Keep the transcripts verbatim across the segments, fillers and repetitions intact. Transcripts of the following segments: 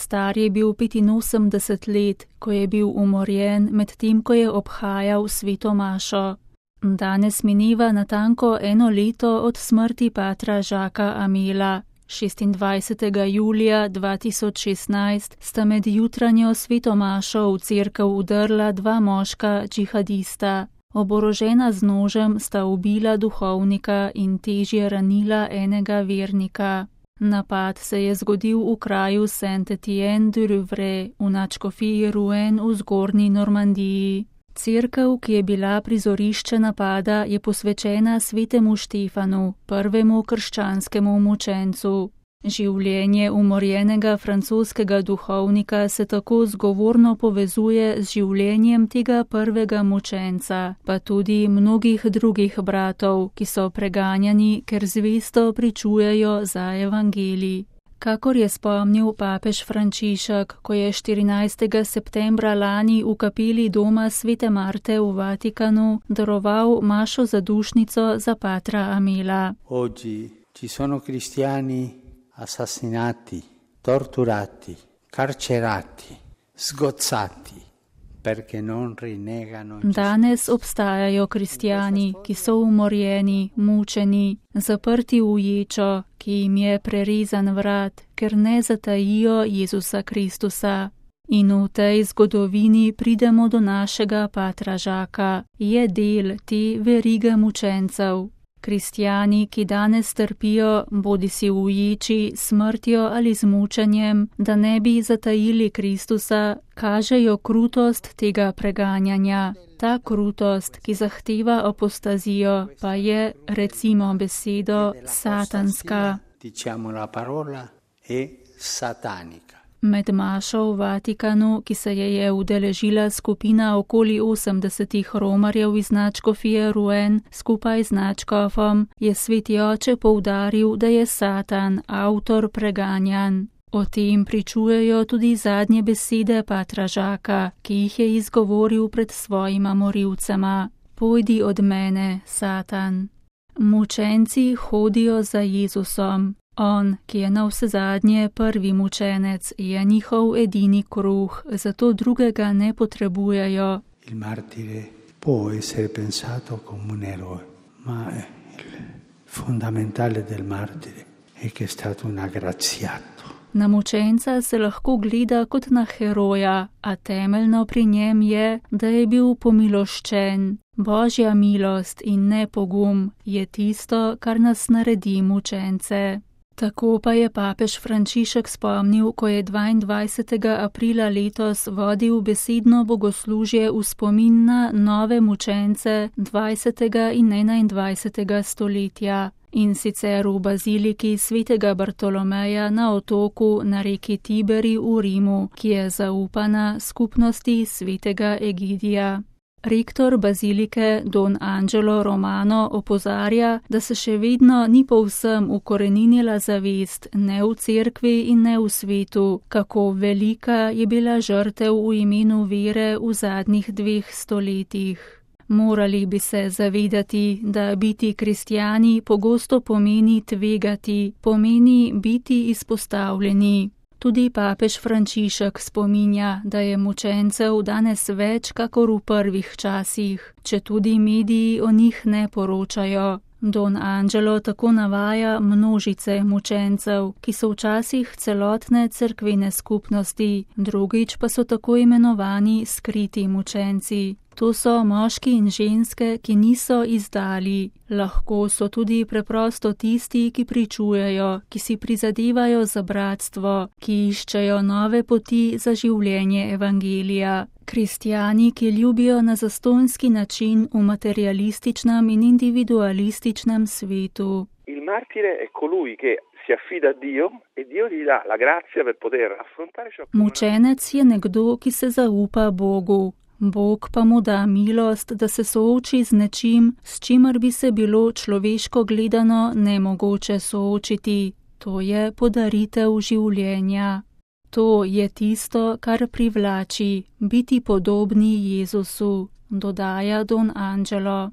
Star je bil petinosemdeset let, ko je bil umorjen medtem, ko je obhajal sveto mašo. Danes mineva natanko eno leto od smrti patra Jacquesa Amela. šestindvajsetega julija dva tisoč šestnajst sta med jutranjo sveto mašo v cerkev vdrla dva moška džihadista. Oborožena z nožem sta ubila duhovnika in težje ranila enega vernika. Napad se je zgodil v kraju Saint-Étienne-du-Rouvray v nadškofiji Rouen v zgornji Normandiji. Cerkev, ki je bila prizorišče napada, je posvečena svetemu Štefanu, prvemu krščanskemu mučencu. Življenje umorjenega francoskega duhovnika se tako zgovorno povezuje z življenjem tega prvega mučenca, pa tudi mnogih drugih bratov, ki so preganjani, ker zvesto pričujejo za evangelij. Kakor je spomnil papež Frančišek, ko je štirinajstega septembra lani v kapeli doma svete Marte v Vatikanu daroval mašo zadušnico za patra Amela. Oggi ci sono cristiani assassinati, torturati, carcerati, sgozzati. Danes obstajajo kristjani, ki so umorjeni, mučeni, zaprti v ječo, ki jim je prerezan vrat, ker ne zatajijo Jezusa Kristusa. In v tej zgodovini pridemo do našega patra Žaka, je del te verige mučencev. Kristjani, ki danes trpijo, bodisi v ječi, smrtjo ali z mučenjem, da ne bi zatajili Kristusa, kažejo krutost tega preganjanja. Ta krutost, ki zahteva apostazijo, pa je, recimo besedo, satanska. Diciamo la parola è satanica. Med mašo v Vatikanu, ki se je je udeležila skupina okoli osemdesetih romarjev iz nadškofije Rouen skupaj z nadškofom, je sveti oče poudaril, da je Satan avtor preganjanj. O tem pričujejo tudi zadnje besede patra Žaka, ki jih je izgovoril pred svojima morilcema. Pojdi od mene, Satan. Mučenci hodijo za Jezusom. On, ki je navsezadnje prvi mučenec, je njihov edini kruh, zato drugega ne potrebujejo. Il martire può essere pensato come un eroe, ma il fondamentale del martire è che è stato un aggraziato. Na mučenca se lahko gleda kot na heroja, a temeljno pri njem je, da je bil pomiloščen. Božja milost in ne pogum je tisto, kar nas naredi mučence. Tako pa je papež Frančišek spomnil, ko je dvaindvajsetega aprila letos vodil besedno bogoslužje v spomin na nove mučence dvajsetega in enaindvajsetega stoletja. In sicer v baziliki svetega Bartolomeja na otoku na reki Tiberi v Rimu, ki je zaupana skupnosti svetega Egidija. Rektor bazilike Don Angelo Romano opozarja, da se še vedno ni povsem ukoreninila zavest ne v cerkvi in ne v svetu, kako velika je bila žrtev v imenu vere v zadnjih dveh stoletjih. Morali bi se zavedati, da biti kristjani pogosto pomeni tvegati, pomeni biti izpostavljeni. Tudi papež Frančišek spominja, da je mučencev danes več kakor v prvih časih, če tudi mediji o njih ne poročajo. Don Angelo tako navaja množice mučencev, ki so včasih celotne cerkvene skupnosti, drugič pa so tako imenovani skriti mučenci. To so moški in ženske, ki niso izdali. Lahko so tudi preprosto tisti, ki pričujejo, ki si prizadevajo za bratstvo, ki iščejo nove poti za življenje evangelija. Kristjani, ki ljubijo na zastonjski način v materialističnem in individualističnem svetu. Il martire è colui che si affida a Dio e Dio gli dà la grazia per poter affrontare ciò. Mučenec je nekdo, ki se zaupa Bogu. Bog pa mu da milost, da se sooči z nečim, s čimer bi se bilo človeško gledano nemogoče soočiti. To je podaritev življenja. To je tisto, kar privlači, biti podobni Jezusu, dodaja Don Angelo.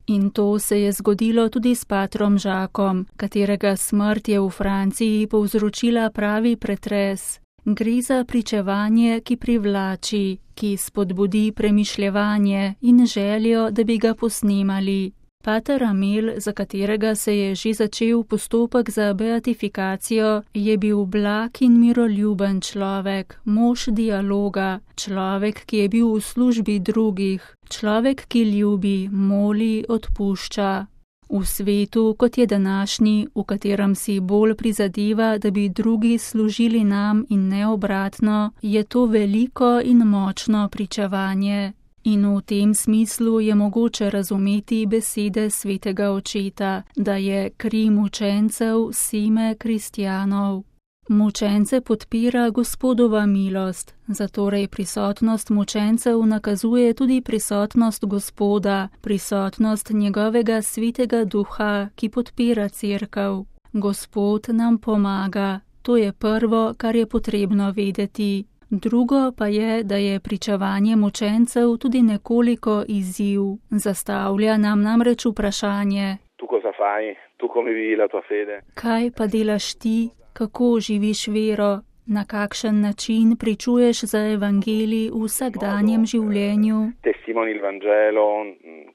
In to se je zgodilo tudi s patrom Žakom, katerega smrt je v Franciji povzročila pravi pretres. Gre za pričevanje, ki privlači, ki spodbudi premišljevanje in željo, da bi ga posnemali. Pater Amel, za katerega se je že začel postopek za beatifikacijo, je bil blag in miroljuben človek, mož dialoga, človek, ki je bil v službi drugih, človek, ki ljubi, moli, odpušča. V svetu, kot je današnji, v katerem si bolj prizadeva, da bi drugi služili nam in ne obratno, je to veliko in močno pričevanje. In v tem smislu je mogoče razumeti besede svetega očeta, da je kri mučencev seme kristjanov. Mučence podpira Gospodova milost, zatorej prisotnost mučencev nakazuje tudi prisotnost Gospoda, prisotnost njegovega svetega duha, ki podpira cerkev. Gospod nam pomaga, to je prvo, kar je potrebno vedeti. Drugo pa je, da je pričevanje mučencev tudi nekoliko izziv. Zastavlja nam namreč vprašanje: Tu cosa fai? Tu come vivi la tua fede? Kaj pa delaš ti? Kako živiš vero? Na kakšen način pričuješ za evangelij v vsakdanjem življenju? Testimoni il Vangelo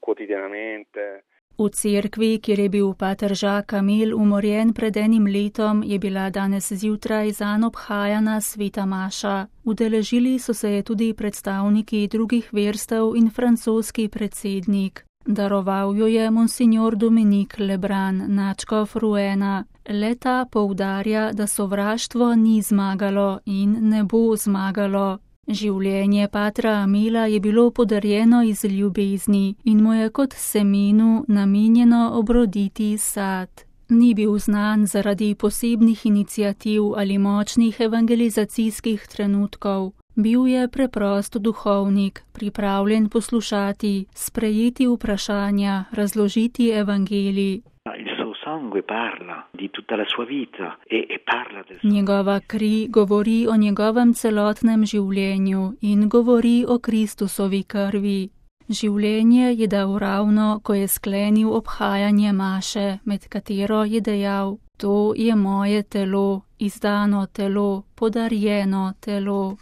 quotidianamente. V cerkvi, kjer je bil pater Jacques Amel umorjen pred enim letom, je bila danes zjutraj zanj obhajana sveta maša. Udeležili so se je tudi predstavniki drugih verstev in francoski predsednik. Daroval jo je monsignor Dominique Lebrun, nadškof Rouena. Le-ta poudarja, da sovraštvo ni zmagalo in ne bo zmagalo. Življenje patra Amela je bilo podarjeno iz ljubezni in mu je kot semenu namenjeno obroditi sad. Ni bil znan zaradi posebnih iniciativ ali močnih evangelizacijskih trenutkov. Bil je preprost duhovnik, pripravljen poslušati, sprejeti vprašanja, razložiti evangelij. Njegova kri govori o njegovem celotnem življenju in govori o Kristusovi krvi. Življenje je dal ravno, ko je sklenil obhajanje maše, med katero je dejal: To je moje telo, izdano telo, podarjeno telo.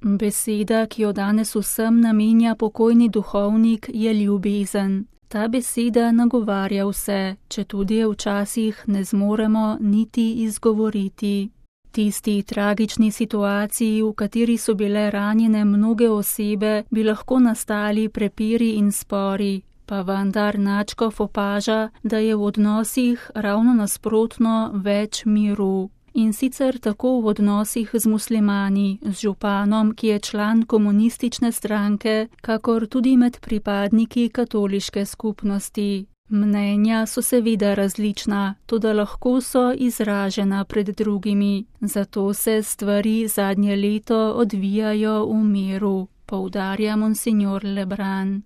Beseda, ki jo danes vsem namenja pokojni duhovnik, je ljubezen. Ta beseda nagovarja vse, četudi je včasih ne zmoremo niti izgovoriti. Tisti tragični situaciji, v kateri so bile ranjene mnoge osebe, bi lahko nastali prepiri in spori, pa vendar nadškof opaža, da je v odnosih ravno nasprotno več miru. In sicer tako v odnosih z muslimani, z županom, ki je član komunistične stranke, kakor tudi med pripadniki katoliške skupnosti. Mnenja so seveda različna, toda lahko so izražena pred drugimi, zato se stvari zadnje leto odvijajo v miru, poudarja monsignor Lebrun.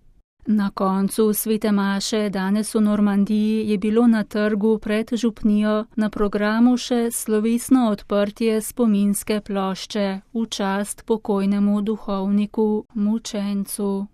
Na koncu svete maše danes v Normandiji je bilo na trgu pred župnijo na programu še slovesno odprtje spominske plošče v čast pokojnemu duhovniku mučencu.